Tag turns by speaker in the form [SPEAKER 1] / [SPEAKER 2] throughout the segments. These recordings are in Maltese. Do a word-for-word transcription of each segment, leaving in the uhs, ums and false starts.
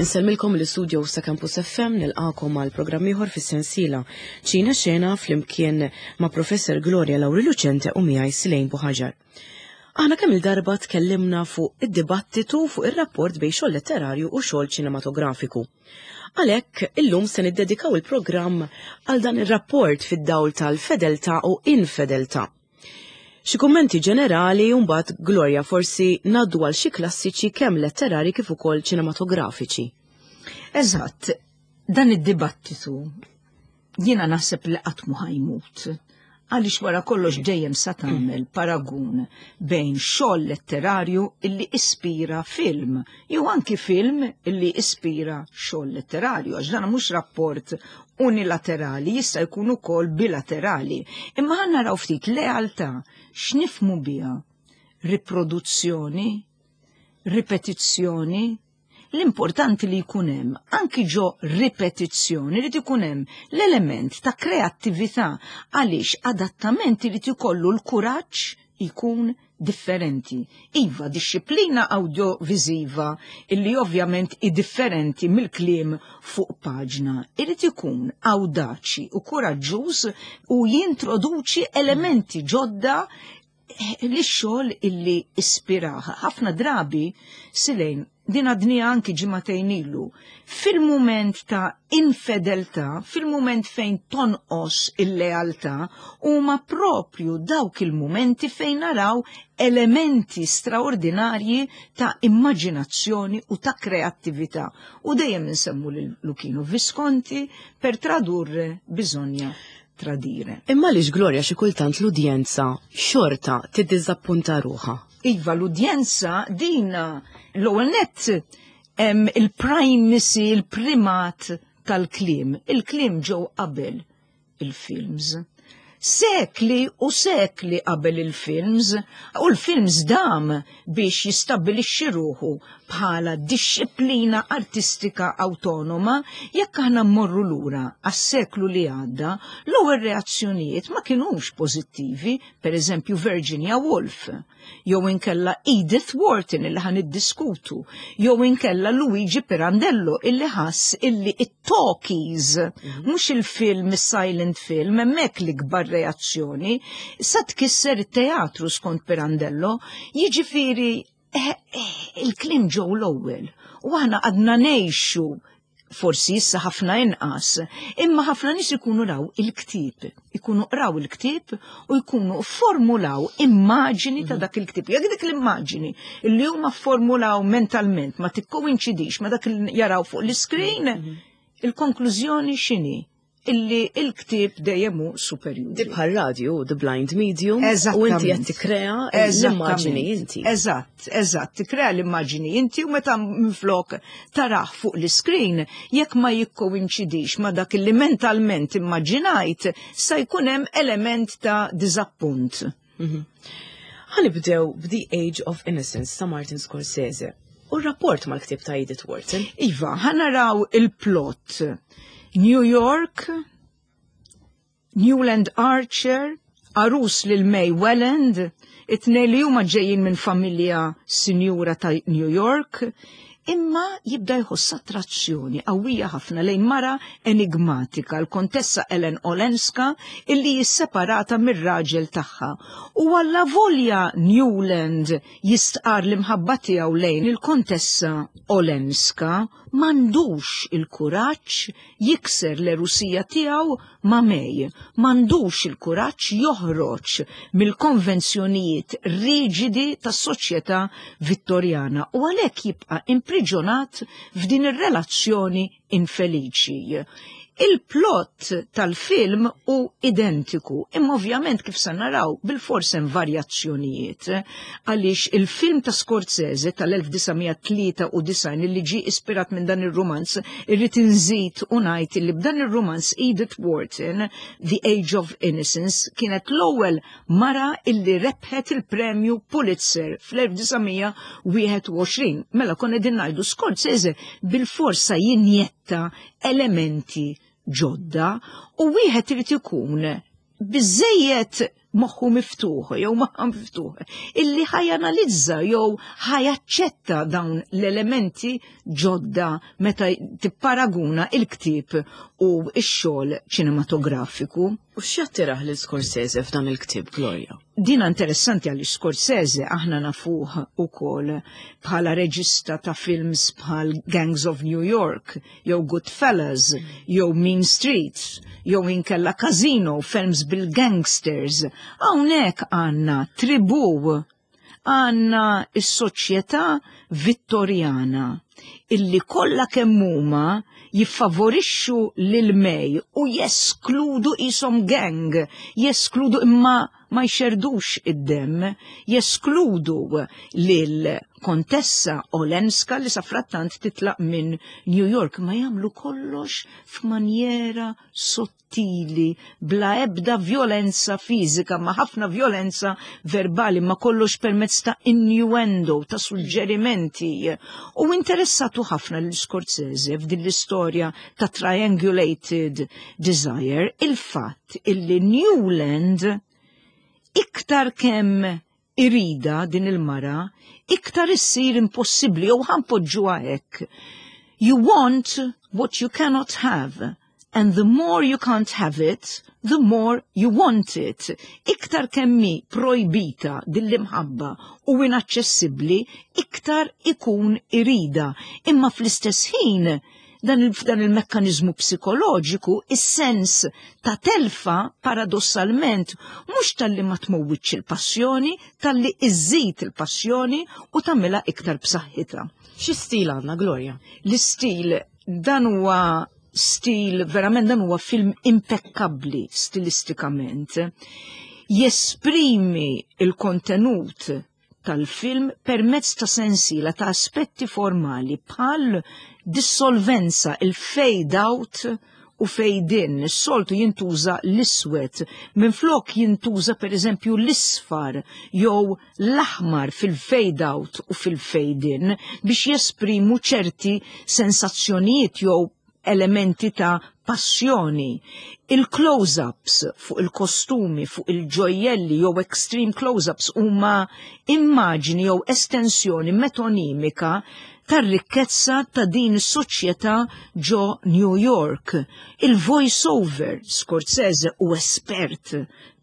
[SPEAKER 1] Insellmilkom l-istudio sa' Campus F M, nilqakom għal programm ieħor fis-sensiela Ċina Xena flimkien ma' Professor Gloria Lauri Lucente u miegħi Silejn Buħaġar. Aħna kemm il-darba tkellimna fuq id-dibattitu fuq ir-rapport bejn xogħol letterarju u xogħol ċinematografiku. Għalhekk illum se niddedikaw il-programm għal dan ir-rapport fid-dawl tal-fedeltà u infedeltà. Xi kummenti ġenerali u mbagħad, Gloria, forsi ngħaddu għal xi klassiċi kemm letterari kif ukoll ċinematografiċi.
[SPEAKER 2] Eżatt, dan id-dibattitu jiena naħseb li qatt mu ħa jmut. Għaliex wara kollox dejjem sa tagħmel paragun bejn xogħol letterarju illi ispira film, jew anki film illi ispira xogħol letterarju, għax dan mhux rapport unilaterali, jista' jkun ukoll bilaterali. Imma ħa naraw ftit lealtà x'nifhmu biha: riproduzzjoni, ripetizzjoni. L-importanti li jkun hemm anki ġo ripetizzjoni li jkun hemm l-element ta' kreattività, għaliex adattamenti li jkollu l-kuraġġ jkun differenti. Iva, disċiplina audioviziva illi ovvjament i differenti mill-kliem fuq paġna. Irid ikun awdaċi u kuraġġuż u jintroduċi elementi ġodda li xogħol illi ispiraha. Ħafna drabi, Silejn, din għadni anki ġimagħtejn ilu, fil-moment ta' infedeltà, fil-moment fejn tonqos il-lealtà, huma propju dawk il-momenti fejn naraw elementi straordinarji ta' immaġinazzjoni u ta' kreattività. U dejjem nsemmu lil Luchino Visconti: "Per tradurre bisogna tradire."
[SPEAKER 1] Imma għaliex, Gloria, xi kultant l-udjenza xorta tiddiżappunta ruħha?
[SPEAKER 2] Iva, l-udjenza dina l-ewwel nett hemm il-primacy, il-primat tal-kliem. Il-kliem ġew qabel il-films. Sekli u sekli qabel il-films, u l-films dam biex jistabbilixxi ruħu bħala disċiplina artistika autonoma. Jekk aħna mmorru lura għas-seklu li għadda, l-ewwel reazzjonijiet ma kinux pożittivi, per eżempju Virginia Woolf, jew inkella Edith Wharton illi ħa niddiskutu, jew inkella Luigi Pirandello illi ħass illi it-talkies, mhux il-film, il-silent film, hemmhekk l-ikbar reazzjoni, sa tkisser it-teatru skont Pirandello, jiġifieri eh, eh, il-kliem ġew l-ewwel. U aħna għadna ngħixu, forsi issa ħafna inqas, imma ħafna nies ikunu raw il-ktieb, ikunu qraw il-ktieb u jkunu formulaw immaġini ta' dak il-ktieb. Jekk dik l-immaġini li huma formulaw mentalment ma tikkoinċidix ma dak li jaraw fuq l-iskrin, il-konklużjoni x'inhi? Illi il-ktieb dejjem hu superjuri.
[SPEAKER 1] Di bħal radio, the blind medium, u inti qed tikkrea l-immaġini inti.
[SPEAKER 2] Eżatt, eżatt, tikkrea l-immaġini inti u meta minflok tarah fuq l-screen, jekk ma jikkoinċidix ma dak li mentalment immaġinajt, sa jkun hemm element ta' diżappunt.
[SPEAKER 1] Ħa nibdew b'The Age of Innocence ta' Martin Scorsese. U r-rapport mal-ktieb ta' Edith Wharton.
[SPEAKER 2] Iva, ħa naraw il-plot. New York, Newland Archer, għarus lil May Welland, it-tnejn li huma ġejjin minn familja sinjura ta' New York, imma jibda jħoss attrazzjoni qawwija ħafna lejn mara enigmatika, l-Kontessa Ellen Olenska, illi jisseparata mir-raġel tagħha. U għallavolja Newland jistqar l-imħabba tiegħu lejn il-Kontessa Olenska, m'għandux il-kuraġġ jikser l-erusija tiegħu ma' May, m'għandux il-kuraġġ joħroġ mill-konvenzjonijiet riġidi tas-soċjetà Vittorjana u għalhekk jibqa' impriġonat f'din ir-relazzjoni infeliċi. Il-plot tal-film hu identiku, imma ovvjament kif sa naraw bil-fors hemm varjazzjonijiet, għaliex il-film ta' Scorsese tal-elf disa' mija tlieta u disgħin li ġie ispirat minn dan ir-rumanz, irrid inżid u ngħid li b'dan ir-rumanz Edith Wharton, The Age of Innocence, kienet l-ewwel mara illi rebħet il-premju Pulitzer fl-elf disa' mija wieħed u għoxrin. Mela konna qegħdin ngħidu Scorsese bil-forsa jinjetta elementi ġodda u wieħed irid ikun biżejjed Moħħu miftuħ jew moħħa miftuħ illi ħa janalizza jew ħa jaċċetta dawn l-elementi ġodda meta tipparaguna il-ktieb u x-xogħol ċinematografiku.
[SPEAKER 1] U x'jattirah lil Scorsese f'dan il-ktieb, Gloria?
[SPEAKER 2] Dina interessanti għal Scorsese. Aħna nafuh ukoll bħala reġista ta' films bħal Gangs of New York, jew Goodfellas, jew Mean Streets, jew inkella Casino, films bil-gangsters. Hawnhekk għandna tribu, għandna is-soċjetà Vittorjana illi kollha kemm huma jiffavorixxu lil May u jeskludu, qishom gang, jeskludu imma ma jxerdux id-dem, jeskludu lil kontessa Olenska li safrattant titlaq minn New York, ma jagħmlu kollox f'manjera sottili, bla ebda violenza fizika, ma ħafna violenza verbali, ma kollox permezz ta' innuendo, ta' suġġerimenti. U interessatu ħafna l-Scorsese f'din l-istorja ta' triangulated desire, il-fatt illi Newland iktar kemm irida din il-mara, iktar issir impossibbli, jew ħa npoġġuha hekk. You want what you cannot have, and the more you can't have it, the more you want it. Iktar kemm hi projbita din l-imħabba u inaċċessibbli, iktar ikun irida. Imma fl-istess ħin, dan il- dan il-mekkanizmu psikoloġiku, is-sens ta' telfa paradossalment mhux talli ma tmowwitx il-passjoni, talli iżżid il-passjoni u tagħmilha iktar b'saħħitha.
[SPEAKER 1] Xi stil għandna, Gloria?
[SPEAKER 2] L-istil, dan huwa stil, verament dan huwa film impeccabli stilistikament. Jesprimi il-kontenut tal-film permezz ta' sensiela ta' aspetti formali bħal dissolvenza, il-fade out u fade in. Soltu jintuża l-iswed, minflok jintuża per eżempju l-isfar jew l-aħmar fil-fade out u fil-fade in biex jesprimu ċerti sensazzjonijiet jew elementi ta' passjoni. Il-close-ups fuq il-kostumi, fuq il-ġojjelli jew extreme close-ups huma immaġni jew estensjoni metonimika tar-rikkezza ta' din is-soċjetà ġo New York. Il-voice-over, Scorsese hu espert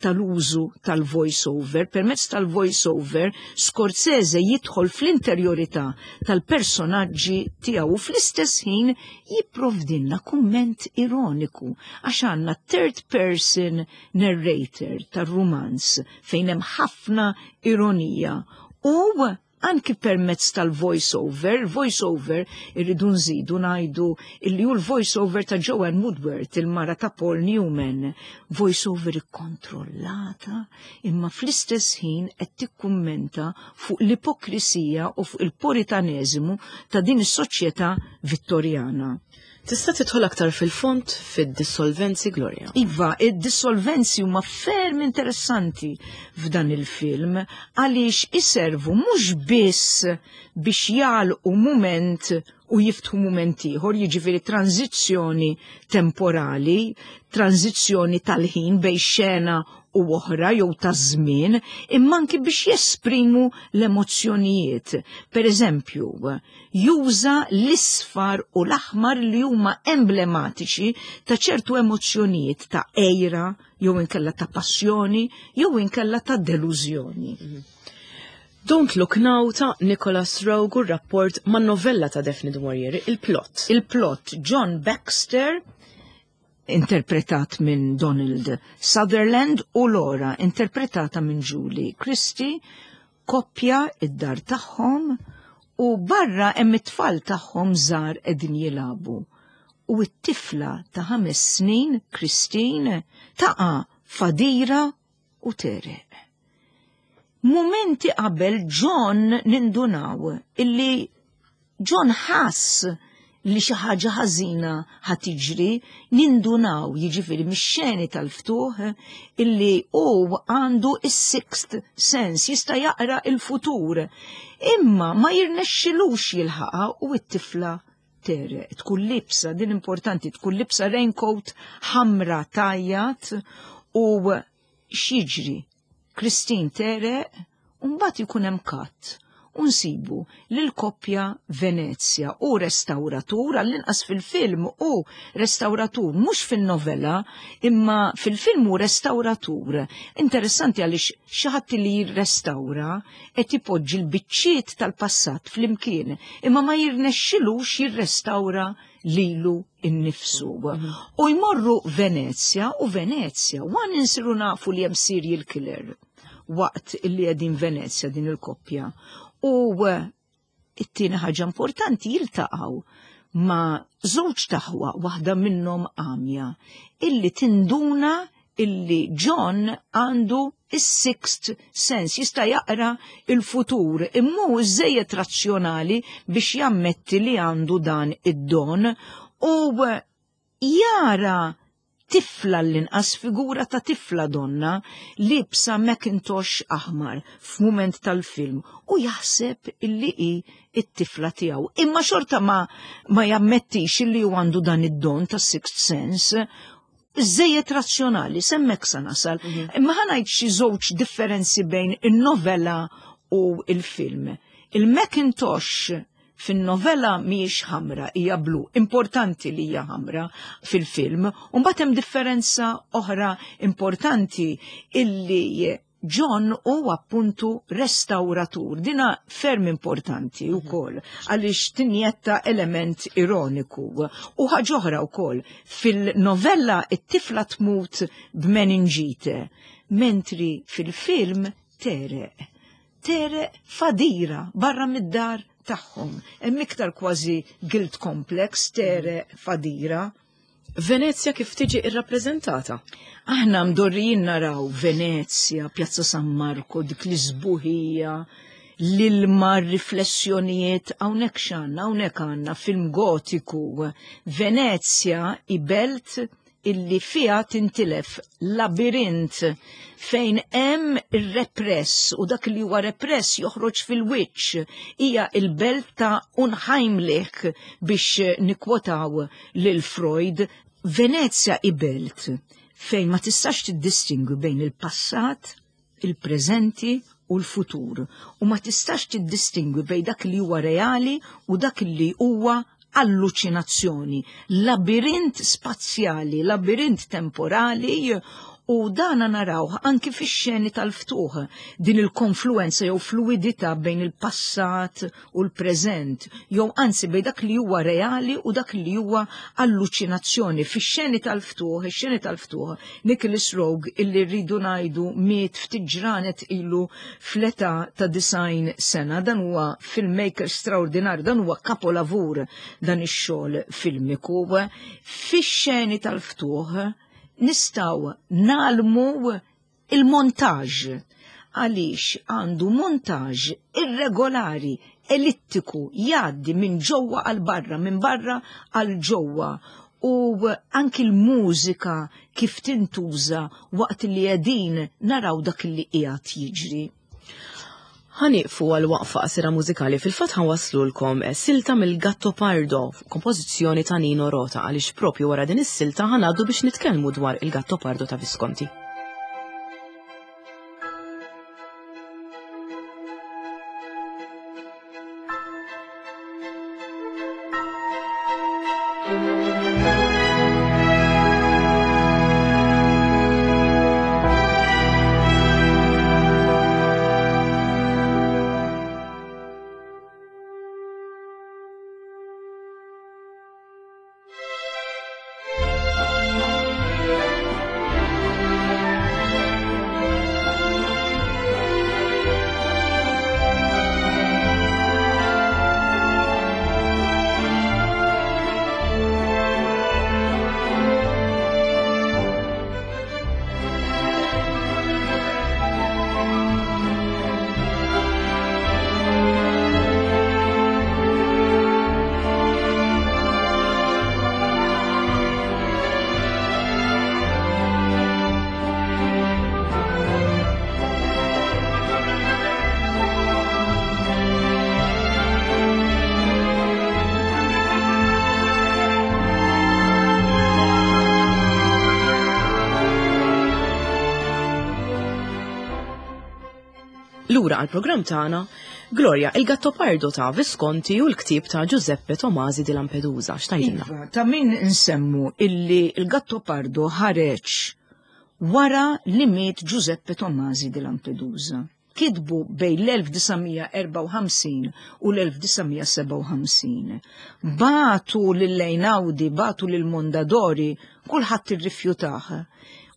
[SPEAKER 2] tal-użu tal-voice-over. Permezz tal-voice-over, Scorsese jidħol fl-interjorità tal-personaġġi tiegħu u fl-istess ħin jipprovdilna kumment ironiku għax għandna third person narrator tar-rumanz fejn hemm ħafna ironija u anki permezz tal-voice-over. Voice-over irridu nżidu ngħidu illi hu l-voice-over ta' Joanne Woodward, il-mara ta' Paul Newman, voice-over ikkontrollata, imma fl-istess ħin qed tikkummenta fuq l-ipokrisija u fuq il-puritaneżimu ta' din is-soċjetà Vittorjana.
[SPEAKER 1] Tista' tidħol aktar fil-fond fid-dissolvenzi, Gloria?
[SPEAKER 2] Iva, id-dissolvenzi huma ferm interessanti f'dan il-film għaliex iservu mhux biss biex jagħlqu mument u jiftħu mument ieħor, jiġifieri tranzizzjoni temporali, tranzizzjoni tal-ħin bejn xena u oħra jew ta' żmien, imma anki biex jesprimu l-emozzjonijiet. Per eżempju, juża l-isfar u l-aħmar li huma emblematiċi ta' ċertu emozzjonijiet ta' għira, jew inkella ta' passjoni, jew inkella ta' delużjoni.
[SPEAKER 1] Don't Look Now ta' Nicholas Roeg u rapport ma' novella ta' Daphne du Maurier, il-plot.
[SPEAKER 2] Il-plot: John Baxter, interpretat minn Donald Sutherland, u Laura, interpretata minn Julie Christie, koppja id-dar tagħhom u barra hemm it-tfal tagħhom żgħar qegħdin jilagħbu. U t-tifla ta' ħames snin, Christine, taqa' f'għadira u tegħreq. Momenti qabel John nindunaw illi John ħass li xi ħaġa ħażina ħa tiġri, nindunaw jiġifieri mix-xeni tal-ftuħ illi hu għandu is-sixth sense, jista' jaqra il-futur. Imma ma jirnexxilux jilħaqha u t-tifla tegħreq. Tkun liebsa, din importanti, tkun liebsa raincoat ħamra tajjat u x'jiġri? Christine tegħreq, u mbagħad ikun hemm cut. U nsibu lil-koppja Venezia u restauratur, għall-inqas fil-film u restauratur, mhux fin-novella, imma fil-film u restauratur. Interessanti għaliex xi ħadd li jirrestawra qed ipoġġi l-biċċiet tal-passat flimkien, imma ma jirnexxilux jirrestawra lilu innifsu. U jmorru Venezia u Venezia, wan insiru nafu li hemm serial killer waqt illi qegħdin Venezia din il-koppja. U it-tieni ħaġa importanti, jiltaqgħu ma' żewġ aħwa, waħda minnhom għamja, illi tinduna illi John għandu is-sixth sense, jista' jaqra il-futur, imma hu żejjed razzjonali biex jammetti li għandu dan id-don u jara tifla, l-inqas figura ta' tifla donna libsa Macintosh aħmar f'mument tal-film u jaħseb illi hi it-tifla tiegħu. Imma xorta ma, ma jammettix illi hu għandu dan id-don ta' sixth sense, żejjed razzjonali, s'hemmhekk sa nasal. Imma ħa ngħid xi żewġ differenzi bejn in-novella u il-film. Il-Macintosh fin-novella mhijiex ħamra, hija blu. Importanti li hija ħamra fil-film. U mbagħad hemm differenza oħra importanti illi John hu appuntu restauratur. Dina ferm importanti wkoll għaliex tinjetta element ironiku. U ħaġa oħra wkoll, fil-novella it-tifla tmut b'meningite, mentri fil-film tegħreq. Tegħreq f'għadira barra mid-dar tagħhom. Hemm iktar kważi guilt complex, tegħreq f'għadira.
[SPEAKER 1] Venezia kif tiġi irrappreżentata?
[SPEAKER 2] Aħna mdorrijin naraw Venezia, Piazza San Marco, dik l-isbuħija, l-ilma, riflessjonijiet, hawnhekk x'għandna, hawnhekk għandna film gotiku. Venezia hi belt illi fija tintilef, labirint fejn hemm ir-repress u dak li huwa repress joħroġ fil-wiċċ. Hija il-belt ta' Unheimlich biex nikwotaw lil Freud. Venezia hi belt fejn ma tistax tiddistingwi bejn il-passat, il-preżenti u l-futur. U ma tistax tiddistingwi bejn dak li huwa reali u dak li huwa alluċinazzjoni, labirint spazjali, labirint temporali, u dana narawh anki fix-xeni tal-ftuħ, din il-konfluenza jew fluidità bejn il-passat u l-preżent, jew anzi bejn dak li huwa reali u dak li huwa alluċinazzjoni. Fix-xeni tal-ftuħ, ix-xeni tal-ftuħ, Nicholas Roeg, illi rridu ngħidu miet ftit ġranet ilu fl-età ta' disgħin sena, dan huwa filmmaker straordinarju, dan huwa kapolavur dan ix-xogħol filmiku. Fix-xeni tal-ftuħ nistgħu nagħmlu il-montaġ, għaliex għandu montaġ irregolari, ellittiku, jgħaddi minn ġewwa għal barra, minn barra għal ġewwa, u anki l-mużika kif tintuża waqt li qegħdin naraw dak li qiegħed jiġri.
[SPEAKER 1] Ħa nieqfu għal waqfa qasira mużikali. Fil-fatt ħa nwasslulkom silta mill-Gattopardo, kompożizzjoni ta' Nino Rota, għaliex propju wara din is-silta ħa ngħaddu biex nitkellmu dwar il-Gattopardo ta' Visconti. Lura għal-programm tagħna, Gloria, il-Gattopardo ta' Visconti u l-ktieb ta' Giuseppe Tomasi di Lampedusa. X'tgħidilna?
[SPEAKER 2] Iva, ta' min nsemmu illi il-Gattopardo ħareġ wara li miet Giuseppe Tomasi di Lampedusa. Kitbu bejn l-elf disa' mija erbgħa u ħamsin u l-elf disa' mija sebgħa u ħamsin. Bagħtu lil Einaudi, bagħtu lil Mondadori, kulħadd irrifjutah.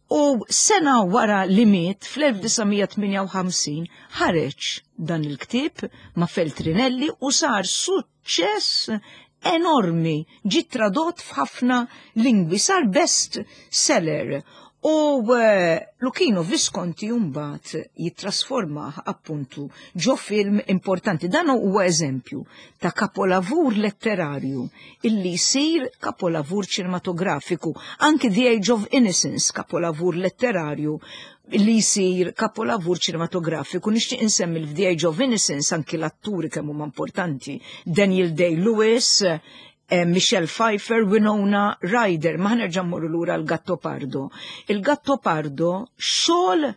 [SPEAKER 2] U sena wara li miet fl-elf disa' mija tmienja u ħamsin ħareġ dan il-ktieb ma' Feltrinelli u sar suċċess enormi, ġi tradott f'ħafna lingwi, sar best seller. U uh, Luchino Visconti mbagħad jittrasformah appuntu ġo film importanti. Dan huwa eżempju ta' kapolavur letterarju illi jsir kapolavur ċinematografiku. Anki The Age of Innocence, kapolavur letterarju li jsir kapolavur ċinematografiku. Nixtieq insemmi f'The Age of Innocence anki l-atturi kemm huma importanti. Daniel Day-Lewis, eh, Michelle Pfeiffer, Winona Ryder, ma ħa nerġa' mmorru lura l-Gattopardo. Il-Gattopardo xogħol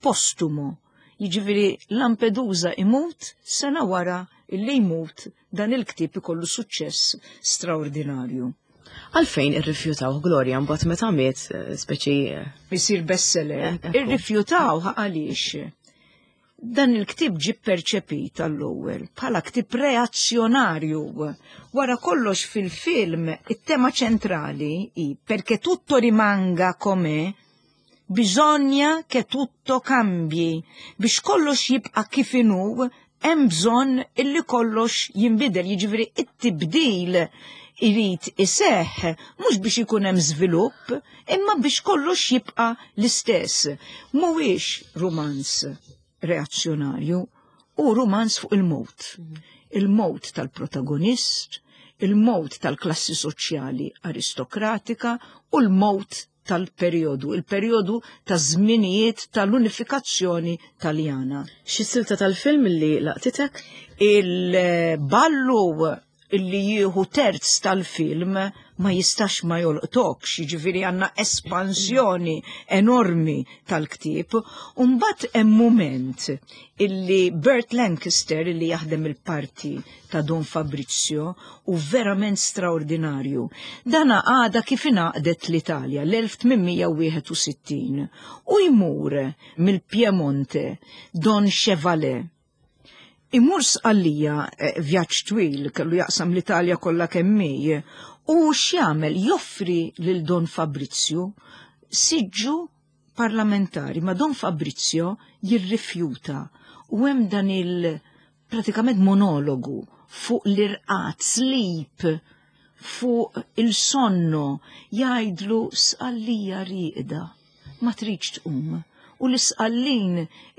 [SPEAKER 2] postumo, jiġifieri Lampedusa imut, sena wara illi jmut dan il-ktieb ikollu suċċess straordinarju.
[SPEAKER 1] Għalfejn irrifjutaw, Gloria, mbagħad meta miet, eh, speċi eh,
[SPEAKER 2] Isir bestseller.
[SPEAKER 1] Eh, ekku.
[SPEAKER 2] Irrifjutaw għaliex dan il-ktib ġi perċepit għall-ewwel bħala ktib reazzjonarju. Wara kollox fil-film it-tema ċentrali hi "perché tutto rimanga com'è, bisogna che tutto cambi". Biex kollox jibqa' kif inhu, hemm bżonn illi kollox jinbidel, jiġifieri it-tibdil irid iseħħ mhux biex ikun hemm żvilupp, imma biex kollox jibqa' l-istess. Mhuwiex rumanz reazzjonarju, u rumanz fuq il-mowt. Il-mowt tal-protagonist, il-mowt tal-klassi soċjali aristokratika u l-mowt tal-periodu, il-periodu ta' żminijiet tal-unifikazzjoni taljana.
[SPEAKER 1] Xi silta tal-film li laqtitek?
[SPEAKER 2] Il-ballu illi jieħu terz tal-film ma jistax ma jolqtokx, jiġifieri għandna espansjoni enormi tal-ktieb. Umbat hemm moment illi Burt Lancaster, illi jaħdem il-parti ta' Don Fabrizio, u verament straordinarju. Dana għada kif ingħaqdet l-Italja l-elf tmien mija wieħed u sittin u jmur mill-Piemonte Don Chevalier. Imur Sqallija, eh, vjaġġ twil, kellu jaqsam l-Italja kollha kemm hi, u x'jagħmel? Joffri lil Don Fabrizio siġġu parlamentari, ma Don Fabrizio jirrifjuta u hemm dan il pratikament monologu fuq l-irqad, sleep, fuq il-sonno, jgħidlu: "Sqallija rieqda, ma tridx tqum." U l-Isqallin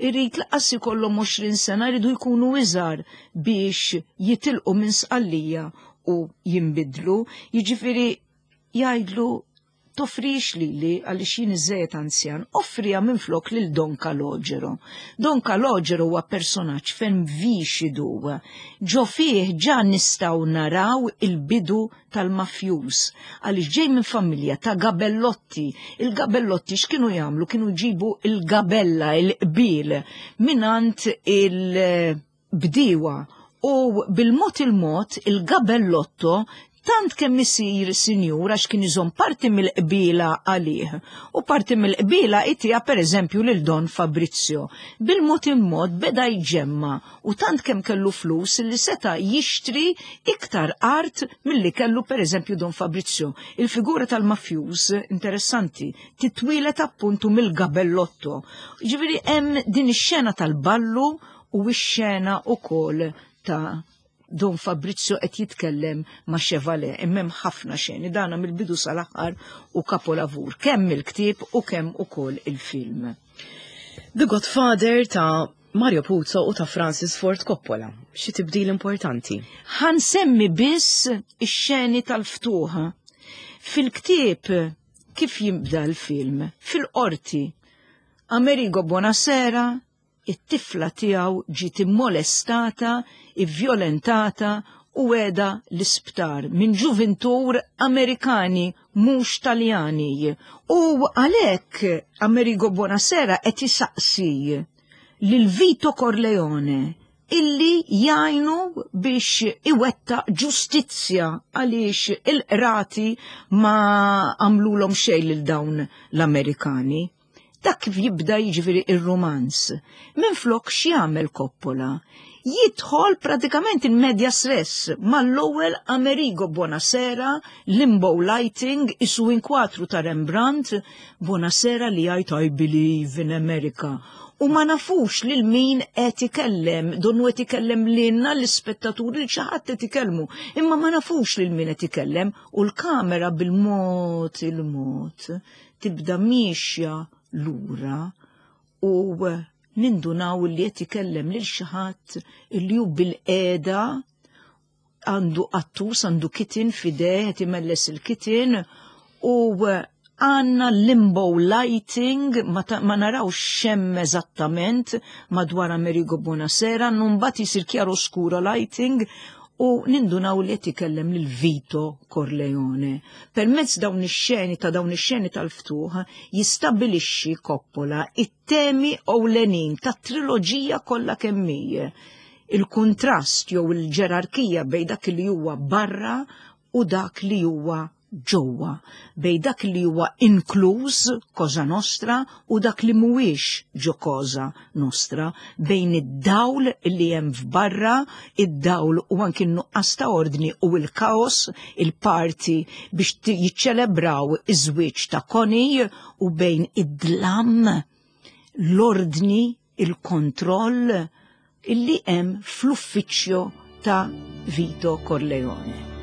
[SPEAKER 2] irid lanqas ikollhom għoxrin sena, jridu jkunu iżgħar biex jitilqu minn Sqallija u jimbidlu, jiġifieri jgħidlu: "Toffrix lili għaliex jien iżżejjed anzjan, offriha minflok lil Don Calogero." Don Calogero huwa personaġġ ferm vixidu. Ġo fih ġa nistgħu naraw il-bidu tal-mafjus, għaliex ġej minn familja ta' gabellotti. Il-gabellotti x'kienu jagħmlu? Kienu jġibu il-gabella, il-qbil, mingħand il-bdiewa u bil-mod il-mod il-gabellotto tant kemm isir sinjur għax kien iżomm parti mill-qbila għalih u parti mill-qbila jtiha per eżempju lil Don Fabrizio. Bil-mod il-mod beda jġemma u tant kemm kellu flus li seta jixtri iktar art milli kellu per eżempju Don Fabrizio. Il-figura tal-mafjuż interessanti titwilet appuntu mill-gabellotto. Ġifieri hemm din ix-xena tal-ballu u x-xena ukoll ta' Don Fabrizio qed jitkellem ma' Chevalier, imma hemm ħafna xeni, dana mill-bidu sal-aħħar u kapolavur, kemm il-ktieb u kemm ukoll il-film.
[SPEAKER 1] The Godfather ta' Mario Puzo u ta' Francis Ford Coppola. Xi tibdil importanti?
[SPEAKER 2] Ħa nsemmi biss ix-xeni tal-ftuħ. Fil-ktieb kif jibda l-film? Fil-qorti. Amerigo Bonasera, it-tifla tiegħu ġiet immolestata, ivvjolentata u qiegħda l-isptar minn ġuvintur Amerikani mhux Taljani. U għalhekk Amerigo Bonasera qed isaqsi lil Vito Corleone illi jgħinu biex iwetta ġustizzja għaliex il-qrati ma għamlulhom xejn lil dawn l-Amerikani. Dak kif jibda jiġifieri ir-romanz. Minflok x'jagħmel Coppola? Jidħol pratikament in media res mal-ewwel Amerigo Bonasera, limbo lighting, isu inkwatru ta' Rembrandt, Bonasera li jgħid I believe in America. U ma nafux lil min qed ikellem, donnu qed ikellem lilna l-ispettaturi li xi ħadd qed ikellmu, imma ma nafux lil min qed ikellem u l-kamera bil-mod il-mod tibda miexja lura u nindunaw li qed ikellem lil xi ħadd li hu bil-qiegħda għandu qattus, għandu kitten f'idejh, qed imelles il-kitten u għanna limbo lighting, ma, ta, ma narawx x'hemm eżattament madwar Amerigo Bonasera, mbagħad jisir chiaroscuro lighting u nindunaw li qed ikellem lil Vito Corleone. Permezz dawn ix-xeni ta' dawn ix-xeni tal-ftuħ jistabilixxi Coppola it-temi ewlenin tat-triloġija kollha kemm hi. Il-kuntrast jew il-ġerarkija bejn dak li huwa barra u dak li huwa ġewwa, bejn dak li huwa inkluż Cosa Nostra u dak li mhuwiex ġo Cosa Nostra, bejn id-dawl li hemm f'barra, id-dawl u anki n-nuqqas ta' ordni u l-kaos, il-party biex jiċċelebraw iż-żwieġ ta' Connie u bejn id-dlam, l-ordni, il-kontroll illi hemm fl-uffiċċju ta' Vito Corleone.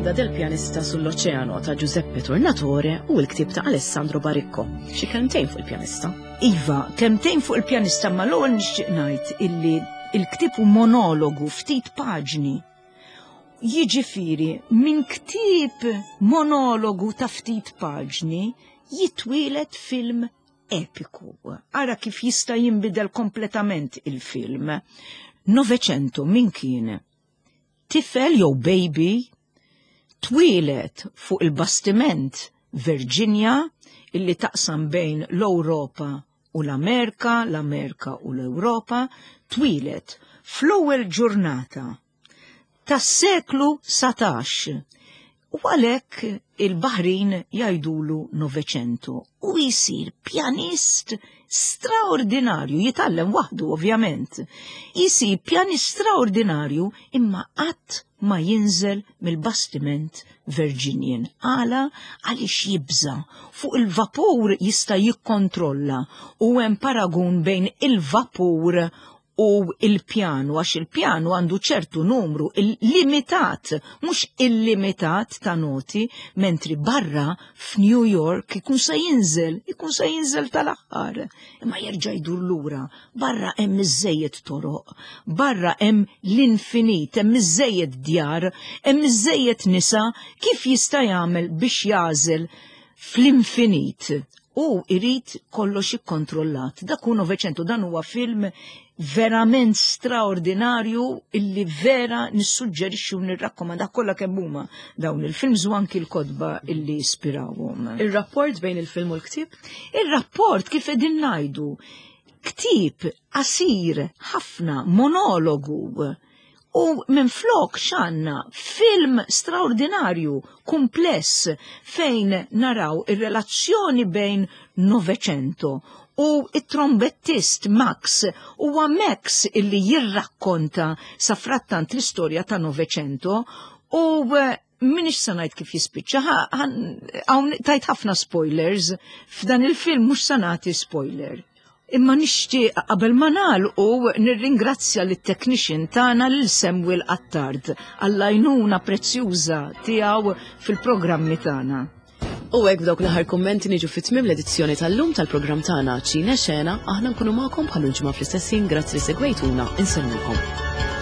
[SPEAKER 1] Leggenda del pianista sull'oceano ta' Giuseppe Tornatore u l-ktieb ta' Alessandro Baricco. Xi kelmtejn fuq il-pjanista?
[SPEAKER 2] Iva, kelmtejn fuq il-pjanista, ma l-ewwel nixtieq ngħid illi il-ktieb hu monologu, ftit paġni. Jiġifieri minn ktieb monologu ta' ftit paġni jitwielet film epiku. Ara kif jista' jinbidel kompletament il-film. Novecento min kien? Tifel jew baby twieled fuq il-bastiment Virginia illi taqsam bejn l-Ewropa u l-Amerika, l-Amerika u l-Ewropa, twieled fl-ewwel ġurnata tas-seklu satax. U għalhekk il-baħrin jgħidulu Novecento u jisir pjanist straordinarju, jitgħallem waħdu ovvjament. Jisir pjanist straordinarju imma qatt ma jinżel mill-bastiment Virginian. Għala? Għaliex jibża. Fuq il-vapur jista' jikkontrolla u hemm paragun bejn il-vapur u il-pjanu, għax il-pjanu għandu ċertu numru limitat, mhux illimitat ta' noti, mentri barra f'New York ikun se jinżel, ikun se jinżel tal-aħħar. Imma jerġa' jdur lura, barra hemm iżejjed toroq, barra hemm l-infinit, hemm iżejjed djar, hemm iżejjed nisa, kif jista' jagħmel biex jagħżel fl-infinit? U irid kollox ikkontrollat. Dak hu Novecento, dan huwa film verament straordinarju illi vera nissuġġerixxi u nirrakkomanda kollha kemm huma dawn il-films u anki l-kotba illi ispirawhom.
[SPEAKER 1] Ir-rapport bejn il-film u l-ktieb?
[SPEAKER 2] Ir-rapport kif qegħdin ngħidu, ktieb qasir ħafna, monologu, u minn flok x'għandna film straordinarju, kumpless, fejn naraw ir-relazzjoni bejn Novecento u it-trombettist Max. Huwa Max illi jirrakkonta sa frattant l-istorja ta' Novecento u minix se ngħid kif jispiċċa, hawn tajt ħafna spoilers, f'dan il-film mhux se nagħti spoiler. Imma nixtieq qabel ma nagħlqu nirringrazzja lit-technician tagħna lil Samuel Attard għall-għajnuna prezzjuża tiegħu fil-programmi tagħna.
[SPEAKER 1] U hekk b'dawk l-aħħar kummenti niġu fit-tmiem l-edizzjoni tal-lum tal-programm tagħna Ċine Xena, aħna nkunu magħkom bħal ġimgħa fl-istess ħin, grazzi li segwejtuna, insellmilkom.